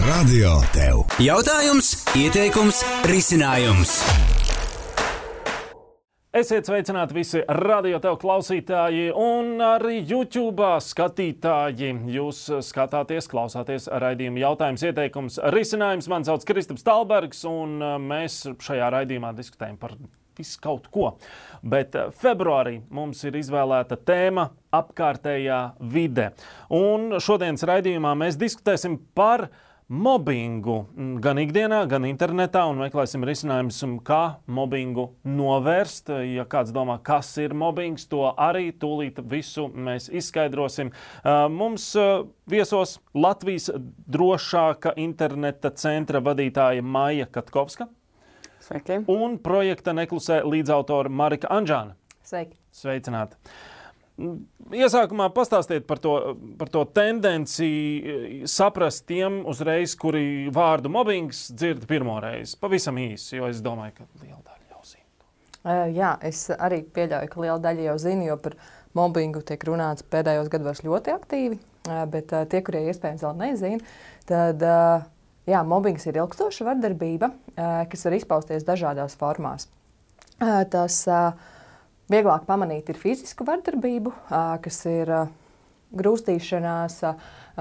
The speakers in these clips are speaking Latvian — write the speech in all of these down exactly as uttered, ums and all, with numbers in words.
Radio Tev. Jautājums, ieteikums, risinājums. Esiet sveicināti visi Radio Tev klausītāji un arī YouTube skatītāji. Jūs skatāties, klausāties raidījumu jautājums, ieteikums, risinājums. Man sauc Kristaps Talbergs un mēs šajā raidījumā diskutējam par visu kaut ko. Bet februārī mums ir izvēlēta tēma apkārtējā vide. Un šodienas raidījumā mēs diskutēsim par mobbingu gan ikdienā, gan internetā un meklēsim risinājumus, kā mobbingu novērst. Ja kāds domā, kas ir mobbings, to arī tūlīt visu mēs izskaidrosim. Mums viesos Latvijas drošāka interneta centra vadītāja Maija Katkovska. Sveiki. Un projekta Neklusē līdzautore Marika Anžāna. Sveiki. Sveicināti. Iesākumā pastāstiet par to, par to tendenci saprast tiem uzreiz, kuri vārdu mobbings dzird pirmo reizi. Pavisam īsi, jo es domāju, ka liela daļa jau zina. Uh, jā, es arī pieļauju, ka liela daļa jau zina, jo par mobbingu tiek runāts pēdējos gados ļoti aktīvi, uh, bet uh, tie, kurie iespējams vēl nezina, tad uh, jā, mobbings ir ilgstoša vardarbība, uh, kas var izpausties dažādās formās. Uh, tas uh, Vieglāk pamanīt ir fizisku vardarbību, kas ir grūstīšanās,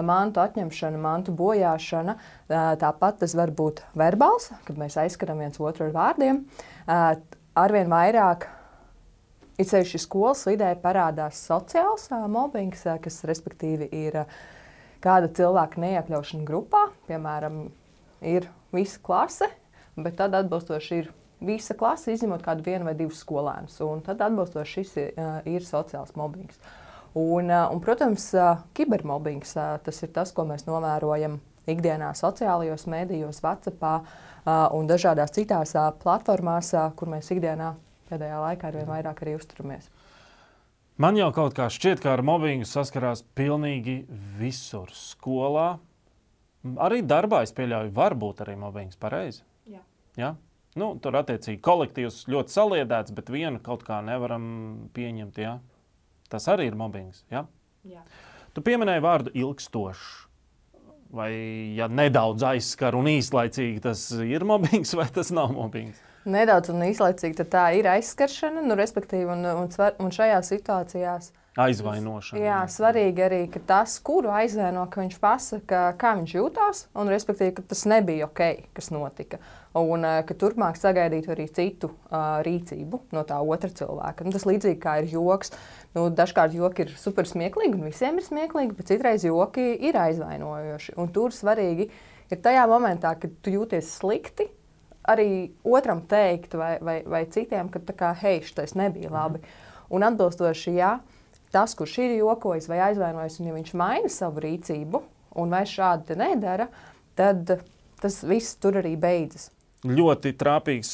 mantu atņemšana, mantu bojāšana. Tāpat tas var būt verbāls, kad mēs aizskaram viens otru ar vārdiem. Arvien vairāk, it sevišķi skolas vidē, parādās sociāls mobbings, kas respektīvi ir kāda cilvēka neiekļaušana grupā. Piemēram, ir visa klase, bet tad atbilstoši ir visa klase, izņemot kādu vienu vai divus skolēnus. Un tad atbilstoši šis ir, ir sociāls mobbings. Un, un protams, kibermobbings, tas ir tas, ko mēs novērojam ikdienā sociālajos mēdījos, WhatsAppā un dažādās citās platformās, kur mēs ikdienā pēdējā laikā arvien vairāk arī uzturamies. Man jau kaut kā šķiet, ka ar mobbingu saskarās pilnīgi visur. Skolā, arī darbā, es pieļauju, var būt arī mobbings, pareizi? Jā. Jā? Nu, tur attiecīgi kolektīvs ļoti saliedēts, bet vienu kaut kā nevaram pieņemt, jā? Tas arī ir mobbings, jā? Jā. Tu pieminēji vārdu ilgstošs. Vai, ja nedaudz aizskar un īslaicīgi, tas ir mobbings vai tas nav mobbings? Nedaudz un īslaicīgi, tad tā ir aizskaršana, nu, respektīvi, un, un, un šajās situācijās aizvainošana. Jā, svarīgi arī, ka tas, kuru aizvaino, ka viņš pasaka, kā viņš jūtās, un respektīvi, ka tas nebija ok, kas notika. Un ka turpmāk sagaidītu arī citu uh, rīcību no tā otra cilvēka. Nu, tas līdzīgi kā ir joks. Nu, dažkārt joki ir super smieklīgi, un visiem ir smieklīgi, bet citreiz joki ir aizvainojoši. Un tur svarīgi ir tajā momentā, kad tu jūties slikti, arī otram teikt vai, vai, vai citiem, ka tā kā, hei, šitais nebija labi. Un atbilstoši, jā, tas, kurš ir jokojis vai aizvainojis, un ja viņš maina savu rīcību, un vai šādi te nedara, tad tas viss tur arī beidzas. Ļoti trāpīgs,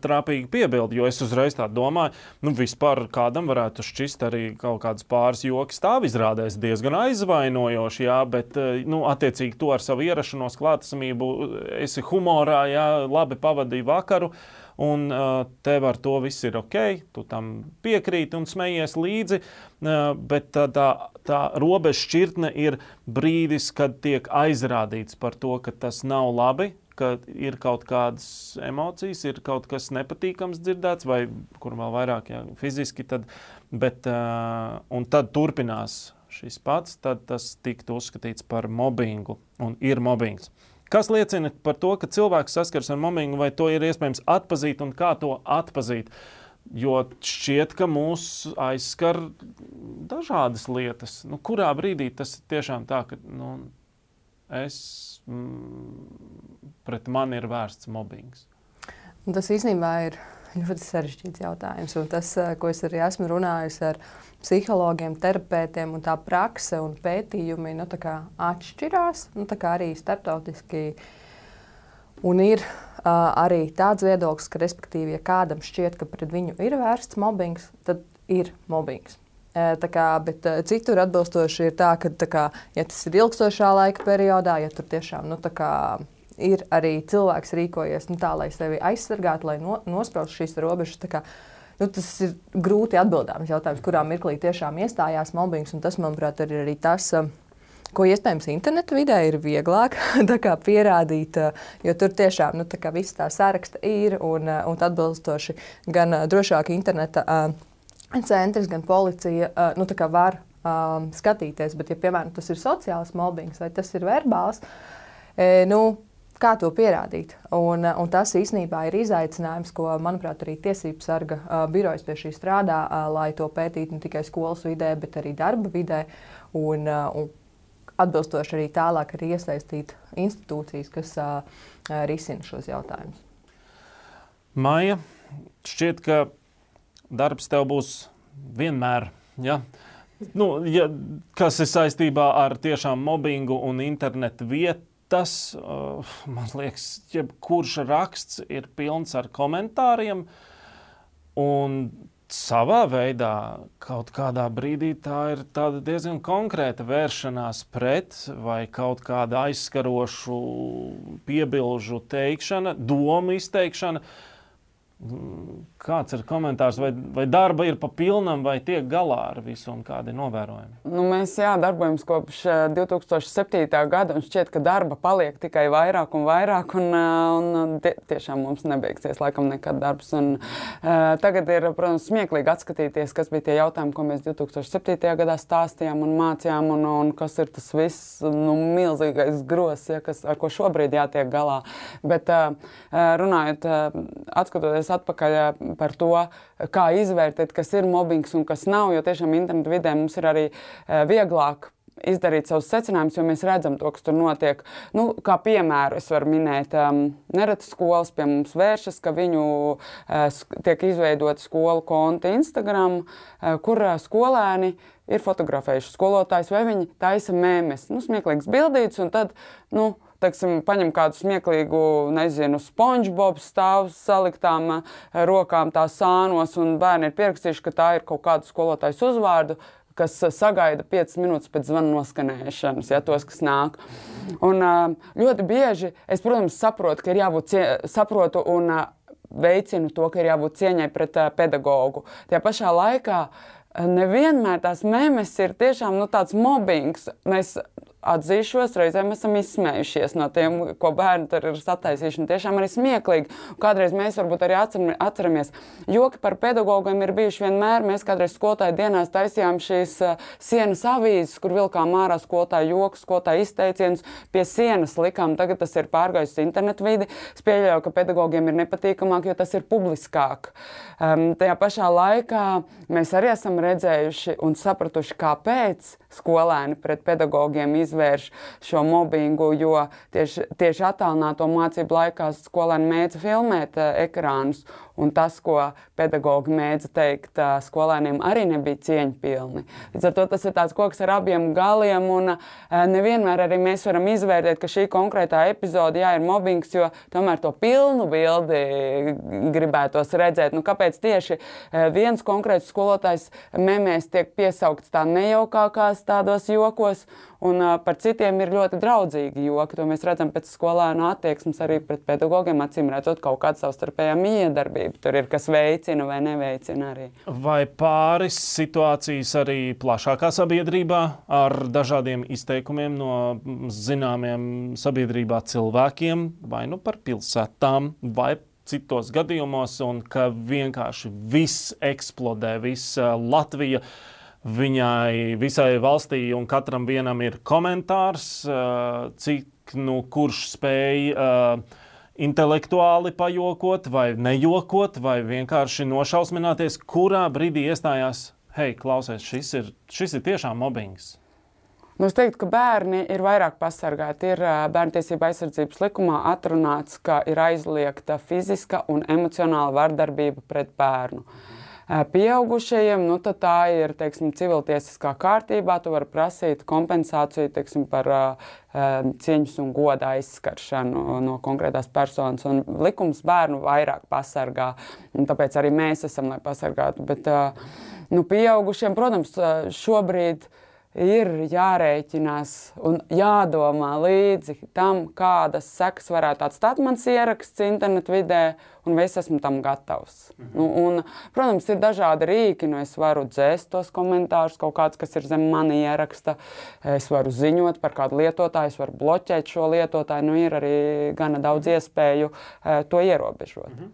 trāpīgi piebildi, jo es uzreiz tā domāju, nu vispār kādam varētu šķist arī kaut kādas pāris joki stāvizrādēs diezgan aizvainojoši, jā, bet, nu, attiecīgi to ar savu ierašanos klātesamību esi humorā, jā, labi pavadīji vakaru, un uh, tev ar to viss ir ok, tu tam piekrīti un smejies līdzi, uh, bet tā, tā, tā robeža šķirtne ir brīdis, kad tiek aizrādīts par to, ka tas nav labi, ka ir kaut kādas emocijas, ir kaut kas nepatīkams dzirdēts, vai kur vēl vairāk, jā, fiziski, tad, bet, uh, un tad turpinās šis pats, tad tas tiktu uzskatīts par mobbingu, un ir mobbings. Kas liecina par to, ka cilvēks saskars ar mobbingu, vai to ir iespējams atpazīt un kā to atpazīt? Jo šķiet, ka mūs aizskar dažādas lietas. Nu, kurā brīdī tas ir tiešām tā, ka nu, es, mm, pret mani ir vērsts mobbings? Tas īstenībā ir ļoti sarežģīts jautājums. Un tas, ko es arī esmu runājusi ar psihologiem, terapeitiem, un tā prakse un pētījumi nu, tā kā atšķirās, nu, tā kā arī starptautiski. Un ir uh, arī tāds viedoklis, ka, respektīvi, ja kādam šķiet, ka pret viņu ir vērsts mobbings, tad ir mobbings. Uh, tā kā, bet uh, citur atbilstoši ir tā, ka, tā kā, ja tas ir ilgstošā laika periodā, ja tur tiešām, nu, tā kā ir arī cilvēks rīkojies nu, tā, lai sevi aizsargātu, lai no, nospraust šīs robežas, tā kā, nu, tas ir grūti atbildāms jautājums, kurā mirklī tiešām iestājās mobbings, un tas, manuprāt, ir arī tas, ko iespējams interneta vidē ir vieglāk tā kā pierādīt, jo tur tiešām nu, tā kā viss tā saraksta ir un, un atbilstoši gan drošāk interneta centrs, gan policija nu, tā kā var um, skatīties. Bet, ja piemēram tas ir sociāls mobbings vai tas ir verbāls, e, nu, kā to pierādīt? Un, un tas īstenībā ir izaicinājums, ko, manuprāt, arī Tiesību sarga uh, birojas pie šī strādā, uh, lai to pētītu ne tikai skolas vidē, bet arī darba vidē. Un, uh, un atbilstoši arī tālāk arī iesaistīt institūcijas, kas uh, risina šos jautājumus. Maija, šķiet, ka darbs tev būs vienmēr, ja? Nu, ja, kas ir saistībā ar tiešām mobbingu un internetu vietu. Tas, uh, man liekas, jebkurš raksts ir pilns ar komentāriem, un savā veidā kaut kādā brīdī tā ir tāda diezgan konkrēta vēršanās pret vai kaut kāda aizskarošu piebilžu teikšana, domu izteikšana. Kāds ir komentārs, vai, vai darba ir pa pilnam, vai tiek galā ar visu un kādi novērojumi? Nu, mēs jā, darbojamies kopš divi tūkstoši septītā gada un šķiet, ka darba paliek tikai vairāk un vairāk un, un tie, tiešām mums nebeigsies laikam nekad darbs. Un, uh, tagad ir, protams, smieklīgi atskatīties, kas bija tie jautājumi, ko mēs divi tūkstoši septītajā gadā stāstījām un mācījām un, un kas ir tas viss nu, milzīgais gros, ja, kas, ar ko šobrīd jātiek galā. Bet uh, runājot, uh, atskatoties atpakaļ par to, kā izvērtēt, kas ir mobbings un kas nav, jo tiešām internetu vidē mums ir arī vieglāk izdarīt savus secinājumus, jo mēs redzam to, kas tur notiek. Nu, kā piemēru es varu minēt, um, nereti skolas pie mums vēršas, ka viņu uh, tiek izveidoti skolu konti Instagram, uh, kur uh, skolēni ir fotografējuši skolotājs vai viņi taisa mēmes, nu, smieklīgs bildīts, un tad, nu, teiksim, paņem kādu smieklīgu, nezinu, SpongeBob stāv saliktām rokām tā sānos, un bērni ir pierakstījuši, ka tā ir kaut kādu skolotājas uzvārdu, kas sagaida piecas minūtes pēc zvana noskanēšanas, ja, tos, kas nāk. Un ļoti bieži es, protams, saprotu, ka ir jābūt cie... saprotu un veicinu to, ka ir jābūt cieņai pret pedagogu. Tajā pašā laikā nevienmēr tās memes ir tiešām nu, tāds mobbings. Mēs atzīšos, reizēm esam izsmējušies no tiem, ko bērni tur ir sataisījuši, un tiešām arī smieklīgi. Kādreiz mēs varbūt arī atceramies. Joki par pedagogiem ir bijuši vienmēr. Mēs kādreiz skolotāju dienās taisījām šīs uh, sienas avīzes, kur vilkām ārā skolotāju jokus, skolotāju izteicienus, pie sienas likām. Tagad tas ir pārgājis internetu vidi. Es pieļauju, ka pedagogiem ir nepatīkamāk, jo tas ir publiskāk. Um, tajā pašā laikā mēs arī esam redzējuši un sapratuši, kāpēc skolēni pret pedagogiem izvērš šo mobbingu, jo tieši, tieši attālināto mācību laikā skolēni mēdza filmēt uh, ekrānus, un tas, ko pedagogi mēdza teikt uh, skolēniem, arī nebija cieņpilni. Līdz ar to tas ir tāds koks ar abiem galiem, un uh, nevienmēr arī mēs varam izvērtēt, ka šī konkrētā epizode, jā, ir mobbings, jo tomēr to pilnu bildi gribētos redzēt. Nu, kāpēc tieši uh, viens konkrēts skolotājs memēs tiek piesaukts tā nejaukākās tādos jokos, un uh, par citiem ir ļoti draudzīgi joki. To mēs redzam pēc skolēnu attieksmes arī pret pedagogiem, acīm redzot kaut kādu savstarpējā miedarbību. Tur ir, kas veicina vai neveicina arī. Vai pāris situācijas arī plašākā sabiedrībā ar dažādiem izteikumiem no zināmiem sabiedrībā cilvēkiem, vai nu par pilsētām, vai citos gadījumos, un ka vienkārši viss eksplodē, viss Latvija, viņai visai valstī un katram vienam ir komentārs, cik, nu, kurš spēj uh, intelektuāli pajokot vai nejokot vai vienkārši nošausmināties, kurā brīdī iestājās, hei, klausies, šis ir, šis ir tiešām mobbings. Nu, es teiktu, ka bērni ir vairāk pasargāti. Ir Bērntiesība aizsardzības likumā atrunāts, ka ir aizliegta fiziska un emocionāla vardarbība pret bērnu. Pieaugušajiem, nu, tad tā ir, teiksim, civiltiesiskā kārtībā. Tu vari prasīt kompensāciju, teiksim, par uh, cieņas un goda aizskaršanu no konkrētās personas. Un likums bērnu vairāk pasargā, un tāpēc arī mēs esam, lai pasargātu. Bet, uh, nu, pieaugušiem, protams, šobrīd ir jārēķinās un jādomā līdzi tam, kādas sekas varētu atstāt mans ieraksts internetu vidē, un vai es esmu tam gatavs. Mhm. Nu, un, protams, ir dažādi rīki, nu es varu dzēst tos komentārus, kaut kāds, kas ir zem mani ieraksta, es varu ziņot par kādu lietotāju, es varu bloķēt šo lietotāju, nu ir arī gana daudz iespēju uh, to ierobežot. Mhm.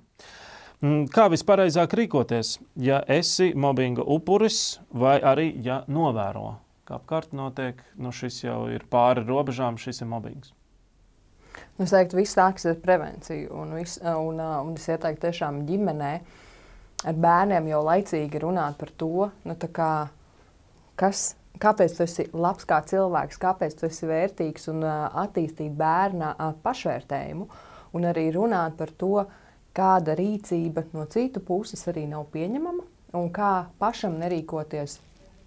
Kā vispareizāk rīkoties, ja esi mobbinga upuris vai arī, ja novēro, ka apkārt notiek, nu šis jau ir pāri robežām, šis ir mobbings? Es teiktu, viss sākas ar prevenciju, un, vis, un, un es ieteiktu tiešām ģimenē ar bērniem jau laicīgi runāt par to, nu tā kā, kas, kāpēc tu esi labs kā cilvēks, kāpēc tu esi vērtīgs un attīstīt bērna pašvērtējumu, un arī runāt par to, kāda rīcība no citu puses arī nav pieņemama un kā pašam nerīkoties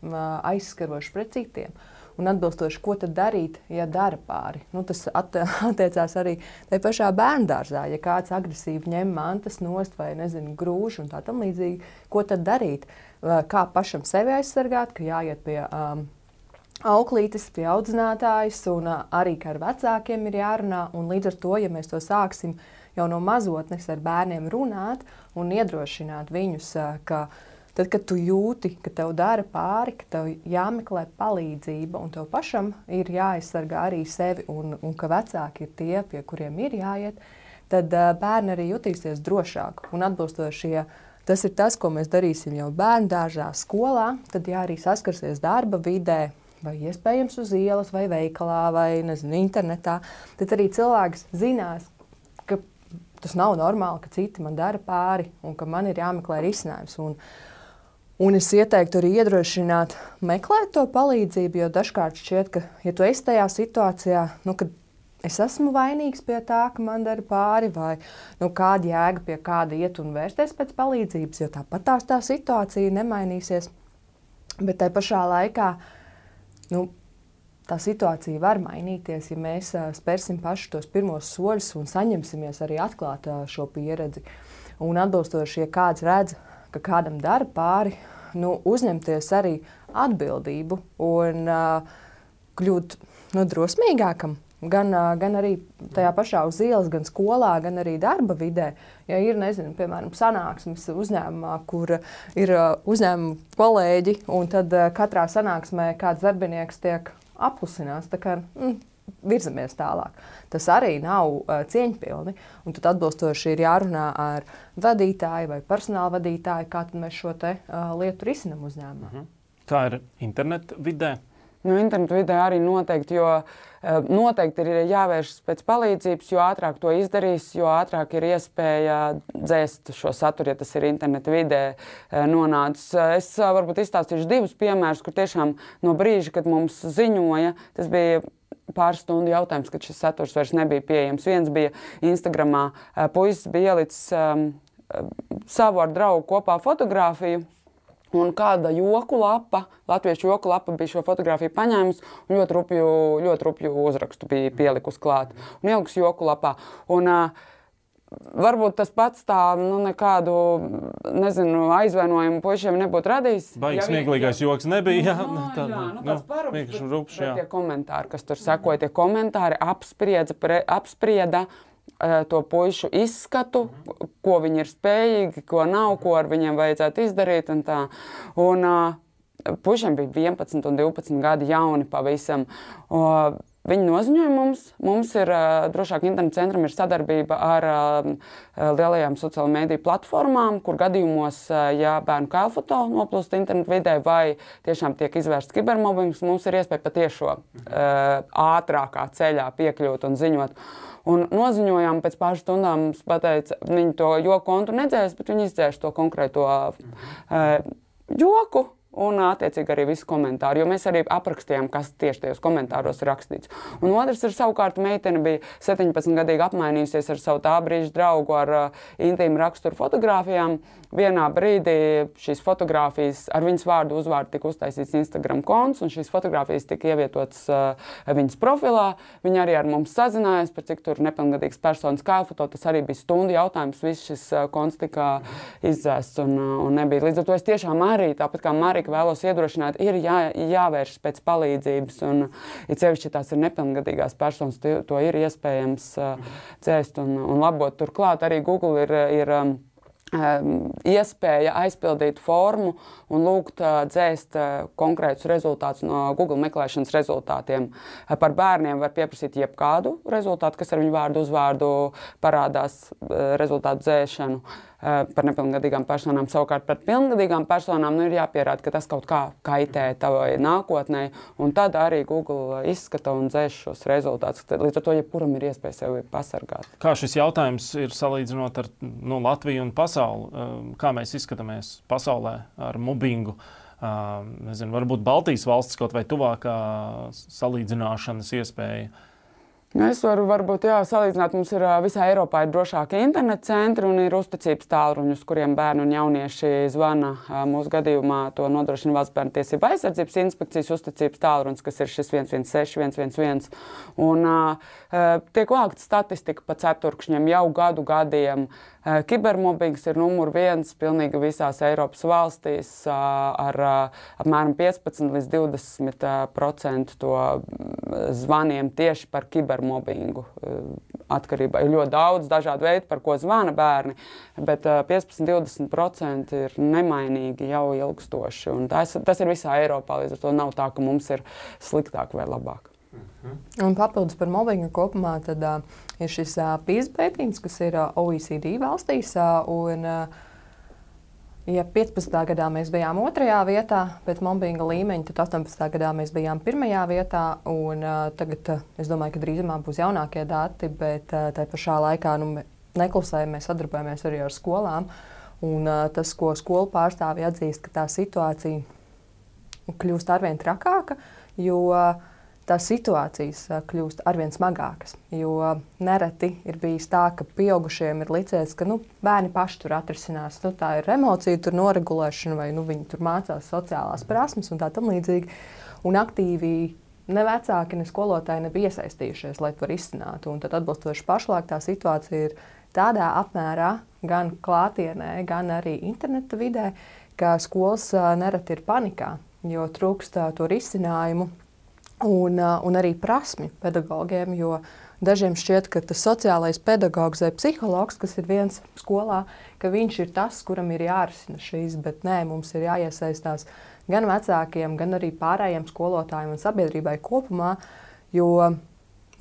aizskaroši pret citiem. Un atbilstoši, ko tad darīt, ja dara pāri. Nu, tas at, attiecās arī tajā pašā bērndārzā. Ja kāds agresīvi ņem mantas nost vai, nezinu, grūž un tā tam līdzīgi, ko tad darīt? Kā pašam sevi aizsargāt, ka jāiet pie um, auklītes, pie audzinātājas un uh, arī, ka ar vecākiem ir jārunā. Un līdz ar to, ja mēs to sāksim jau no mazotnes ar bērniem runāt un iedrošināt viņus, ka tad, kad tu jūti, ka tev dara pāri, ka tev jāmeklē palīdzība un tev pašam ir jāaizsargā arī sevi un, un ka vecāki ir tie, pie kuriem ir jāiet, tad uh, bērni arī jutīsies drošāk. Un atbilstoši, ja tas ir tas, ko mēs darīsim jau bērndārzā, skolā, tad ja arī saskarsies darba vidē, vai iespējams uz ielas, vai veikalā, vai nezinu, internetā, tad arī cilvēks zinās, ka tas nav normāli, ka citi man dara pāri un ka man ir jāmeklē risinājums. Un, un es ieteiktu arī iedrošināt meklēt to palīdzību, jo dažkārt šķiet, ka, ja tu esi tajā situācijā, nu, kad es esmu vainīgs pie tā, ka man dara pāri, vai nu, kāda jēga pie kāda iet un vērsties pēc palīdzības, jo tāpat tās tā situācija nemainīsies. Bet tai pašā laikā, nu, tā situācija var mainīties, ja mēs uh, spērsim paši tos pirmos soļus un saņemsimies arī atklāt uh, šo pieredzi. Un atbilstoši, ja kāds redz, ka kādam dara pāri, nu, uzņemties arī atbildību un uh, kļūt nu, drosmīgākam. Gan, uh, gan arī tajā pašā uz ielas, gan skolā, gan arī darba vidē. Ja ir, nezinu, piemēram, sanāksmes uzņēmumā, kur ir uh, uzņēmuma kolēģi, un tad uh, katrā sanāksmē kāds darbinieks tiek apklusinās, tā kā mm, virzamies tālāk. Tas arī nav uh, cieņpilni, un tad atbilstoši ir jārunā ar vadītāju vai personāla vadītāju, kā tad mēs šo te uh, lietu risinam uzņēmumā. Mhm. Kā ir internetu vidē? Nu, internetu vidē arī noteikti, jo uh, noteikti ir jāvēršas pēc palīdzības, jo ātrāk to izdarīs, jo ātrāk ir iespēja dzēst šo saturu, ja tas ir internetu vidē uh, nonācis. Es uh, varbūt izstāstīšu divus piemērus, kur tiešām no brīža, kad mums ziņoja, tas bija pāris stundu jautājums, kad šis saturs vairs nebija pieejams. Viens bija Instagramā, uh, puisis bija ielicis um, savu ar draugu kopā fotogrāfiju, un kāda joku lapa, latviešu joku lapa bija šo fotogrāfiju paņēmusi un ļoti rupju, ļoti rupju uzrakstu bija pielikus klāt un ielikus joku lapā. Un, uh, varbūt tas pats tā, nu, nekādu, nezinu, aizvainojumu puišiem nebūtu radījis. Baigi ja smieklīgais joks nebija, jā. No, tā, jā, nu, tāds parums, vienkārši rupšs, jā. tie komentāri, kas tur sekoja, tie komentāri apspriedza, pre, apsprieda to puišu izskatu, ko viņi ir spējīgi, ko nav, ko ar viņiem vajadzētu izdarīt un tā. Un uh, puišiem bija vienpadsmit un divpadsmit gadi jauni pavisam. Uh, viņi noziņoja mums. Mums ir, uh, drošāk internetu centram ir sadarbība ar uh, lielajām sociālo mediju platformām, kur gadījumos, uh, ja bērnu kailfoto noplūst internetu vidē vai tiešām tiek izvērsts kibermobbings, mums ir iespēja patiešo uh, ātrākā ceļā piekļūt un ziņot. Un noziņojām pēc pāris stundām, pateica, viņi to joku kontu nedzēs, bet viņi izdzēš to konkrēto uh, joku un attiecīgi arī visu komentāru, jo mēs arī aprakstījām, kas tieši tajos komentāros ir rakstīts. Un otrs ir savukārt meitene bija septiņpadsmitgadīga apmainījusies ar savu tā brīža draugu ar uh, intīmu raksturu fotogrāfijām. Vienā brīdī šīs fotogrāfijas ar viņas vārdu uzvārdu tika uztaisīts Instagram konts, un šīs fotogrāfijas tika ievietotas uh, viņas profilā. Viņa arī ar mums sazinājās, par cik tur nepilngadīgas personas kailfoto. Tas arī bija stundu jautājums, viss šis uh, konts tika izdzēsts un, uh, un nebija. Līdz ar to es tiešām arī, tāpat kā Marika, noteikti vēlos iedrošināt, ir jā, jāvēršas pēc palīdzības, un it sevišķi tās ir nepilngadīgās personas, to, to ir iespējams uh, dzēst un, un labot. Turklāt arī Google ir, ir um, iespēja aizpildīt formu un lūgt dzēst konkrētus rezultātus no Google meklēšanas rezultātiem. Par bērniem var pieprasīt jebkādu rezultātu, kas ar viņu vārdu uzvārdu parādās rezultātu dzēšanu. Par nepilngadīgām personām. Savukārt par pilngadīgām personām nu, ir jāpierāda, ka tas kaut kā kaitē tavai nākotnē, un tad arī Google izskata un dzēš šos rezultātus. Līdz ar to, jebkuram ir iespēja sevi pasargāt. Kā šis jautājums ir salīdzinot ar nu, Latviju un pasauli? Kā mēs izskatāmies pasaulē ar mobbingu? Nezinu, varbūt Baltijas valstis kaut vai tuvākā salīdzināšanas iespēja. Es varu varbūt jā, salīdzināt, mums ir visā Eiropā ir drošāki interneta centri un ir uzticības tālruņi, uz kuriem bērni un jaunieši zvana. Mūsu gadījumā to nodrošina Valsts bērnu tiesību aizsardzības inspekcijas uzticības tālrunis, kas ir šis viens viens seši viens viens viens. Un uh, tiek vākta statistika pa ceturkšņiem jau gadu gadiem. Uh, kibermobbings ir numur viens pilnīgi visās Eiropas valstīs uh, ar uh, apmēram piecpadsmit līdz divdesmit procenti to zvaniem tieši par kibermobbingu. Uh, atkarībā ir ļoti daudz dažādu veidu, par ko zvana bērni, bet uh, piecpadsmit līdz divdesmit procenti ir nemainīgi jau ilgstoši. Un tas, tas ir visā Eiropā, līdz ar to nav tā, ka mums ir sliktāk vai labāk. Un papildus par mobbingu kopumā, tad uh, ir šis uh, PISA pētījums, kas ir uh, O E C D valstīs. Uh, un, uh, ja piecpadsmitā gadā mēs bijām otrajā vietā pēc mobbinga līmeņa, tad astoņpadsmitā gadā mēs bijām pirmajā vietā. Un, uh, tagad uh, es domāju, ka drīzumā būs jaunākie dati, bet uh, tai pašā laikā nu, neklusējam, mēs sadarbojamies arī ar skolām. Un, uh, tas, ko skolu pārstāvji atzīst, ka tā situācija kļūst arvien trakāka, jo uh, tās situācijas kļūst arvien smagākas. Jo nereti ir bijis tā, ka pieaugušiem ir licies, ka nu, bērni paši tur atrisinās. Nu, tā ir emocija, tur noregulēšana, vai nu, viņi tur mācās sociālās prasmes un tā tam līdzīgi. Un aktīvi ne vecāki, ne skolotāji nebija iesaistījušies, lai to risinātu. Un tad atbilstoši pašlaik tā situācija ir tādā apmērā, gan klātienē, gan arī interneta vidē, ka skolas nereti ir panikā, jo trūkst to risinājumu. Un, un arī prasmi pedagogiem, jo dažiem šķiet, ka tas sociālais pedagogs vai psihologs, kas ir viens skolā, ka viņš ir tas, kuram ir jārisina šīs, bet nē, mums ir jāiesaistās gan vecākiem, gan arī pārējiem skolotājiem un sabiedrībai kopumā, jo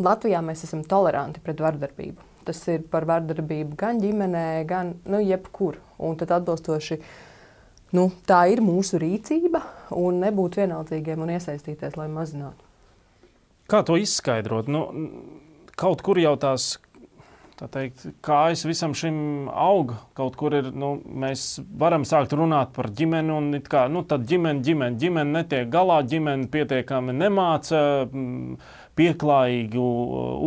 Latvijā mēs esam toleranti pret vardarbību. Tas ir par vardarbību gan ģimenē, gan nu, jebkur. Un tad atbilstoši nu, tā ir mūsu rīcība un nebūt vienaldzīgiem un iesaistīties, lai mazinātu. Kā to izskaidrot? Nu, kaut kur jau tās tā teikt, kājas visam šim aug. Kaut kur ir, nu, mēs varam sākt runāt par ģimeni un it kā, nu, tad ģimene, ģimene, ģimene netiek galā, ģimene pietiekami nemāca pieklājīgu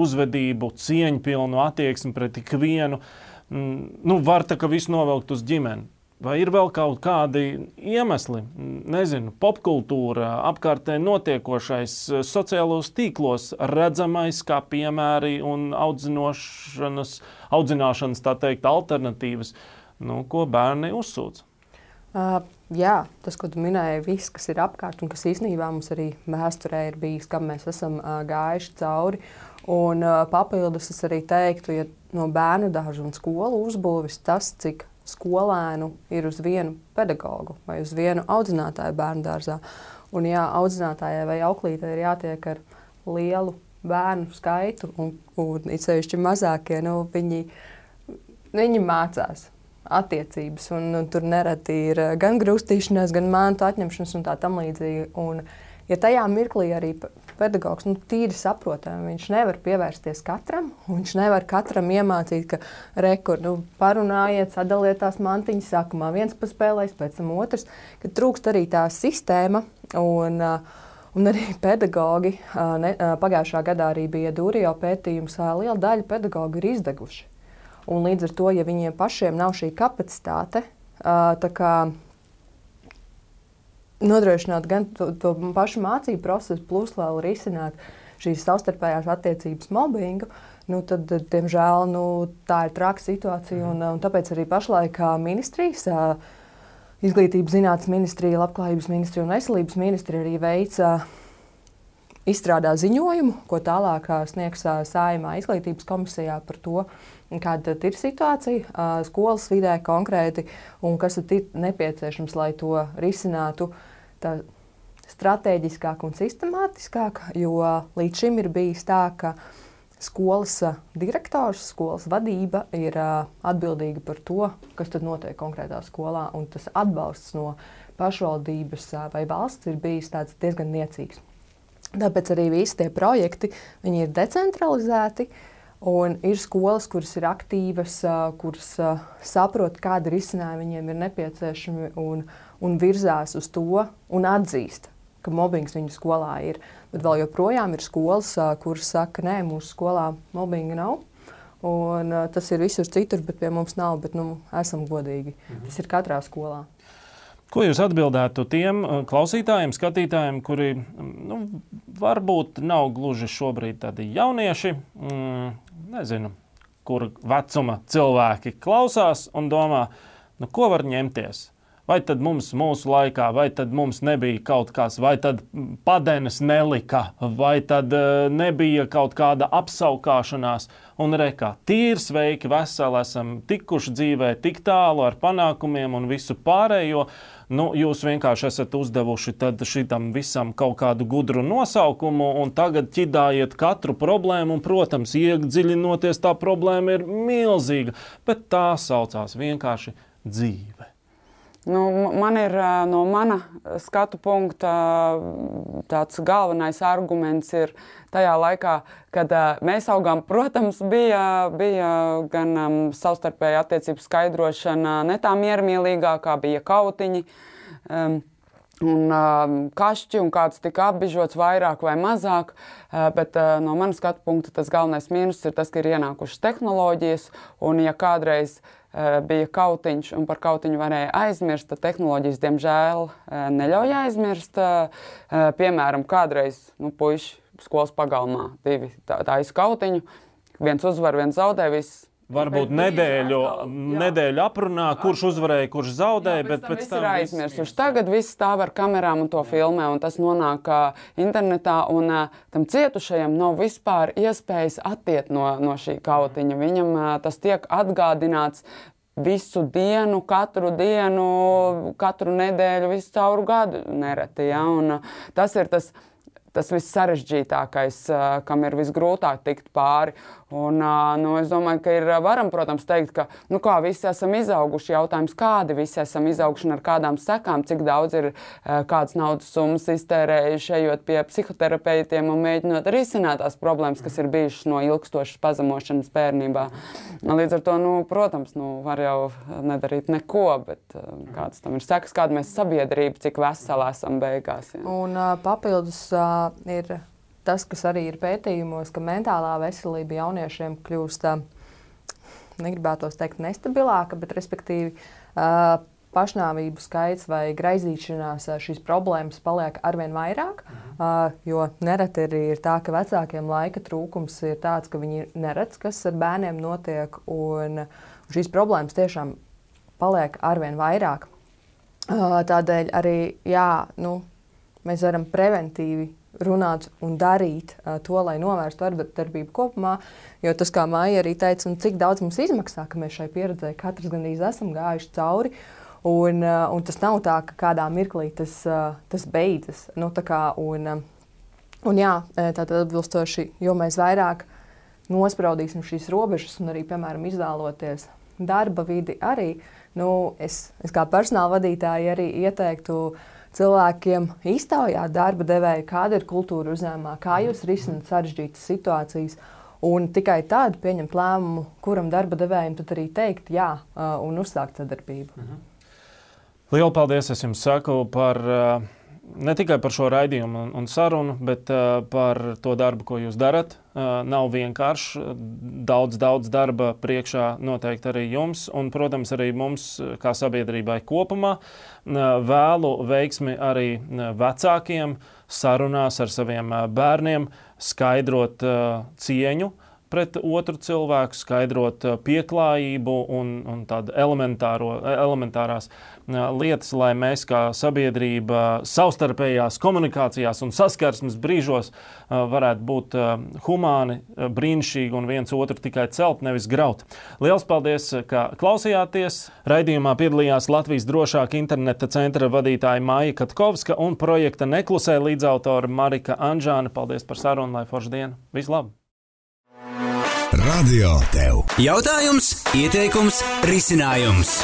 uzvedību, cieņpilnu attieksmi pret ikvienu. Nu, var tā, ka visu novelkt uz ģimeni. Vai ir vēl kaut kādi iemesli, nezinu, popkultūra, apkārtē notiekošais, sociālos tīklos redzamais kā piemēri un audzināšanas, audzināšanas tā teikt, alternatīvas, nu, ko bērni uzsūdz? Uh, jā, tas, ko tu minēji, viss, kas ir apkārt un kas īstenībā mums arī vēsturē ir bijis, kam mēs esam uh, gājuši cauri. Un uh, papildus es arī teiktu, ja no bērnu dārza un skolu uzbūvis tas, cik skolēnu ir uz vienu pedagogu vai uz vienu audzinātāju bērnu dārzā. Un jā, audzinātājai vai auklītei ir jātiek ar lielu bērnu skaitu, un, un it sevišķi mazākie, nu, viņi, viņi mācās attiecības, un, un tur nereti ir gan grūstīšanās, gan mantu atņemšanas un tā tam līdzīgi. Un, ja tajā mirklī arī pedagogs nu, tīri saprotami, viņš nevar pievērsties katram, un viņš nevar katram iemācīt, ka rekur, nu, parunājiet, sadaliet tās mantiņas, sākumā viens paspēlēs, pēc tam otrs, ka trūkst arī tā sistēma, un, un arī pedagogi, ne, pagājušā gadā arī bija Dūrio pētījums, liela daļa pedagogu ir izdeguši. Un līdz ar to, ja viņiem pašiem nav šī kapacitāte, tā kā nodrošināt gan to, to pašu mācību procesu, plus vēl risināt šīs savstarpējās attiecības mobbingu, nu tad, diemžēl, nu, tā ir traka situācija. Un, un tāpēc arī pašlaik ministrijas Izglītības zinātnes ministrija, Labklājības ministrija un Veselības ministrija arī veica izstrādā ziņojumu, ko tālāk sniegs Saeimā izglītības komisijā par to, kāda ir situācija skolas vidē konkrēti un kas ir nepieciešams, lai to risinātu tā stratēģiskāk un sistemātiskāk, jo līdz šim ir bijis tā, ka skolas direktors, skolas vadība ir atbildīga par to, kas tad notiek konkrētā skolā, un tas atbalsts no pašvaldības vai valsts ir bijis tāds diezgan niecīgs. Tāpēc arī visi tie projekti, viņi ir decentralizēti, un ir skolas, kuras ir aktīvas, kuras saprot, kādi risinājumi viņiem ir nepieciešami un, un virzās uz to un atzīst, ka mobbings viņu skolā ir. Bet vēl joprojām ir skolas, kuras saka, nē, mūsu skolā mobbinga nav. Un, uh, tas ir visur citur, bet pie mums nav, bet nu, esam godīgi. Mhm. Tas ir katrā skolā. Ko jūs atbildētu tiem klausītājiem, skatītājiem, kuri nu, varbūt nav gluži šobrīd tādi jaunieši, mm, nezinu, kur vecuma cilvēki klausās un domā, nu, ko var ņemties? Vai tad mums mūsu laikā, vai tad mums nebija kaut kas, vai tad padenes nelika, vai tad uh, nebija kaut kāda apsaukāšanās. Un rekā, tīri sveiki, veseli esam tikuši dzīvē tik tālu ar panākumiem un visu pārējo. Nu, jūs vienkārši esat uzdevuši tad šitam visam kaut kādu gudru nosaukumu un tagad ķidājiet katru problēmu un, protams, iedziļinoties tā problēma ir milzīga, bet tā saucās vienkārši dzīve. Nu, man ir no mana skatu punkta tāds galvenais arguments ir tajā laikā, kad mēs augām, protams, bija, bija gan um, savstarpēja attiecību skaidrošana ne tā miermīlīgākā, bija kautiņi um, un um, kašķi un kāds tika apbižots vairāk vai mazāk, uh, bet uh, no mana skatu punkta tas galvenais mīnus ir tas, ka ir ienākušas tehnoloģijas un ja kādreiz bija kautiņš un par kautiņu varēja aizmirst, tad tehnoloģijas, diemžēl, neļauj aizmirst. Piemēram, kādreiz nu, puiši skolas pagalmā divi tā, tā izkautiņu, viens uzvar, viens zaudē, viss. Varbūt nedēļu, nedēļu aprunā, kurš uzvarēja, kurš zaudēja, jā, bet pēc tam viss ir aizmirsuši. Tagad viss stāv ar kamerām un to filmē, un tas nonāk uh, internetā, un uh, tam cietušajam nav vispār iespējas attiet no, no šī kautiņa. Viņam uh, tas tiek atgādināts visu dienu, katru dienu, katru nedēļu, visu cauru gadu nereti. Ja? Un, uh, tas ir tas, tas viss sarežģītākais, uh, kam ir visgrūtāk tikt pāri. Un, nu, es domāju, ka ir varam, protams, teikt, ka nu, kā, visi esam izauguši. Jautājums, kādi visi esam izauguši un ar kādām sekām, cik daudz ir kādas naudas summas iztērējuši, ejot pie psihoterapeitiem un mēģinot risināt tās problēmas, kas ir bijušas no ilgstošas pazemošanas bērnībā. Līdz ar to, nu, protams, nu, var jau nedarīt neko, bet kāds tam ir sekas, kāda mēs sabiedrība, cik veseli esam beigās. Ja. Un uh, papildus uh, ir tas, kas arī ir pētījumos, ka mentālā veselība jauniešiem kļūst, negribētos teikt, nestabilāka, bet respektīvi pašnāvību skaits vai graizīšanās šīs problēmas paliek arvien vairāk, jo nereti arī ir tā, ka vecākiem laika trūkums ir tāds, ka viņi neredz, kas ar bērniem notiek, un šīs problēmas tiešām paliek arvien vairāk. Tādēļ arī, jā, nu, mēs varam preventīvi runāt un darīt uh, to, lai novērstu vardarbību kopumā, jo tas, kā Maija arī teica, un cik daudz mums izmaksā, ka mēs šai pieredzē katrs gandrīz esam gājuši cauri, un, uh, un tas nav tā, ka kādā mirklī tas, uh, tas beidzas. Nu, tā kā, un, uh, un jā, tātad atbilstoši, jo mēs vairāk nospraudīsim šīs robežas un arī, piemēram, izvēloties darba vidi arī, nu, es, es kā personāla vadītāji arī ieteiktu cilvēkiem iztaujāt darba devēju, kāda ir kultūra uzņēmumā, kā jūs risināt sarežģītas situācijas, un tikai tad pieņemt lēmumu, kuram darba devējiem tad arī teikt jā un uzsākt sadarbību. Mhm. Lielu paldies, es jums saku par ne tikai par šo raidījumu un, un sarunu, bet uh, par to darbu, ko jūs darat. Uh, nav vienkārši. Daudz, daudz darba priekšā noteikti arī jums un, protams, arī mums kā sabiedrībai kopumā. Uh, vēlu veiksmi arī vecākiem sarunās ar saviem bērniem, skaidrot uh, cieņu pret otru cilvēku, skaidrot pieklājību un, un tādu elementārās lietas, lai mēs kā sabiedrība savstarpējās komunikācijās un saskarsmes brīžos varētu būt humāni, brīnišķīgi un viens otru tikai celt, nevis graut. Liels paldies, ka klausījāties. Raidījumā piedalījās Latvijas drošāka interneta centra vadītāja Maija Katkovska un projekta Neklusē līdzautora Marika Anžāne. Paldies par sarunu, lai forša diena. Vislab! Radio tev. Jautājums, ieteikums, risinājums.